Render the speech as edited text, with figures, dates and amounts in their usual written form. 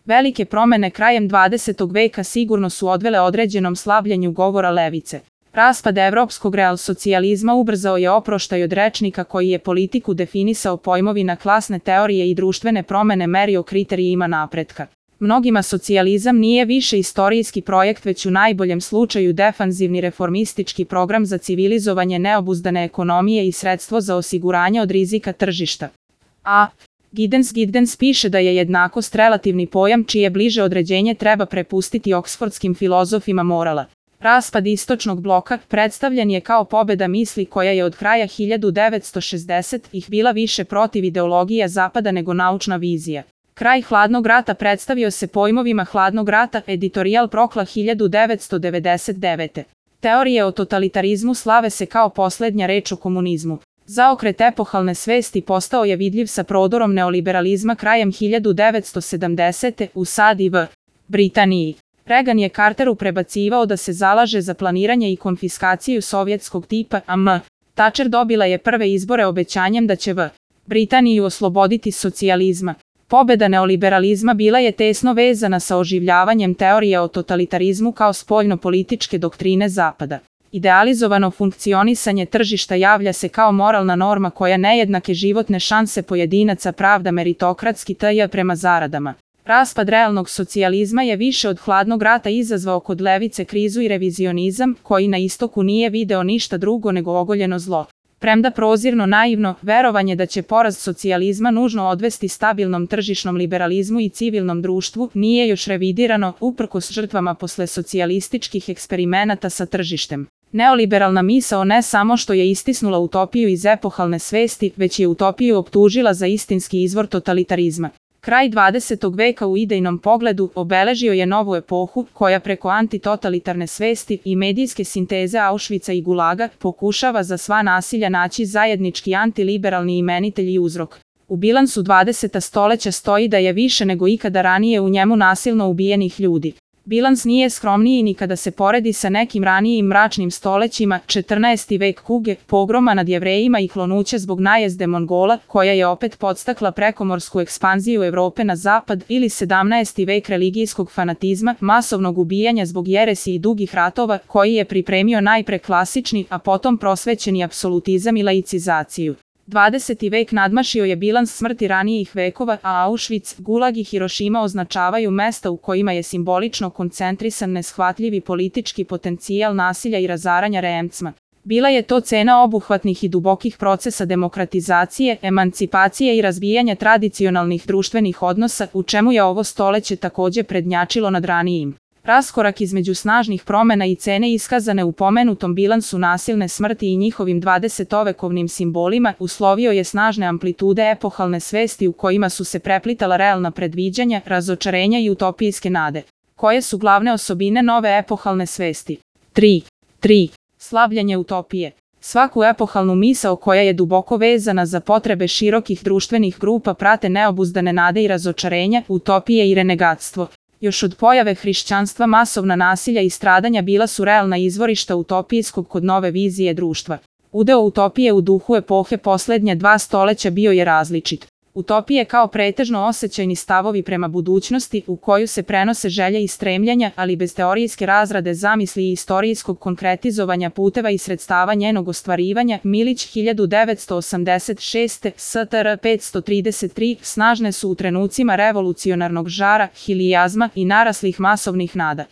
Velike promene krajem 20. veka sigurno su odvele određenom slabljenju govora levice. Raspad evropskog realsocijalizma ubrzao je oproštaj od rečnika koji je politiku definisao pojmovina klasne teorije i društvene promene merio kriterijima napretka. Mnogima socijalizam nije više istorijski projekt, već u najboljem slučaju defanzivni reformistički program za civilizovanje neobuzdane ekonomije i sredstvo za osiguranje od rizika tržišta. A. Giddens piše da je jednakost relativni pojam čije bliže određenje treba prepustiti oksfordskim filozofima morala. Raspad istočnog bloka predstavljen je kao pobeda misli koja je od kraja 1960-ih bila više protiv ideologija Zapada nego naučna vizija. Kraj hladnog rata predstavio se pojmovima hladnog rata, Editorial Prokla 1999. Teorije o totalitarizmu slave se kao posljednja reč o komunizmu. Zaokret epohalne svesti postao je vidljiv sa prodorom neoliberalizma krajem 1970. u SAD i v. Britaniji. Reagan je Carteru prebacivao da se zalaže za planiranje i konfiskaciju sovjetskog tipa, a M. Thatcher dobila je prve izbore obećanjem da će v. Britaniju osloboditi socijalizma. Pobeda neoliberalizma bila je tesno vezana sa oživljavanjem teorije o totalitarizmu kao spoljno-političke doktrine Zapada. Idealizovano funkcionisanje tržišta javlja se kao moralna norma koja nejednake životne šanse pojedinaca pravda meritokratski tj. prema zaradama. Raspad realnog socijalizma je više od hladnog rata izazvao kod levice krizu i revizionizam, koji na istoku nije video ništa drugo nego ogoljeno zlo. Premda prozirno naivno, verovanje da će poraz socijalizma nužno odvesti stabilnom tržišnom liberalizmu i civilnom društvu nije još revidirano, uprkos žrtvama posle socijalističkih eksperimenata sa tržištem. Neoliberalna misao ne samo što je istisnula utopiju iz epohalne svesti, već je utopiju optužila za istinski izvor totalitarizma. Kraj 20. veka u idejnom pogledu obeležio je novu epohu koja preko antitotalitarne svesti i medijske sinteze Auschwitza i Gulaga pokušava za sva nasilja naći zajednički antiliberalni imenitelj i uzrok. U bilansu 20. stoleća stoji da je više nego ikada ranije u njemu nasilno ubijenih ljudi. Bilans nije skromniji ni kada se poredi sa nekim ranijim mračnim stolećima, 14. vek kuge, pogroma nad Jevrejima i klonuća zbog najezde Mongola, koja je opet podstakla prekomorsku ekspanziju Evrope na zapad, ili 17. vek religijskog fanatizma, masovnog ubijanja zbog jeresi i dugih ratova, koji je pripremio najpre klasični, a potom prosvećeni apsolutizam i laicizaciju. 20. vek nadmašio je bilans smrti ranijih vekova, a Auschwitz, Gulag i Hirošima označavaju mesta u kojima je simbolično koncentrisan neshvatljivi politički potencijal nasilja i razaranja Remcma. Bila je to cena obuhvatnih i dubokih procesa demokratizacije, emancipacije i razvijanja tradicionalnih društvenih odnosa, u čemu je ovo stoleće također prednjačilo nad ranijim. Raskorak između snažnih promena i cene iskazane u pomenutom bilansu nasilne smrti i njihovim 20-vekovnim simbolima uslovio je snažne amplitude epohalne svesti u kojima su se preplitala realna predviđanja, razočarenja i utopijske nade. Koje su glavne osobine nove epohalne svesti? 3. Slavljenje utopije. Svaku epohalnu misao koja je duboko vezana za potrebe širokih društvenih grupa prate neobuzdane nade i razočarenja, utopije i renegatstvo. Još od pojave hrišćanstva masovna nasilja i stradanja bila su realna izvorišta utopijskog kod nove vizije društva. Udeo utopije u duhu epohe posljednja 2 stoleća bio je različit. Utopije kao pretežno osjećajni stavovi prema budućnosti u koju se prenose želje i stremljenja, ali bez teorijske razrade zamisli i istorijskog konkretizovanja puteva i sredstava njenog ostvarivanja. Milić 1986. STR 533 snažne su u trenucima revolucionarnog žara, hilijazma i naraslih masovnih nada.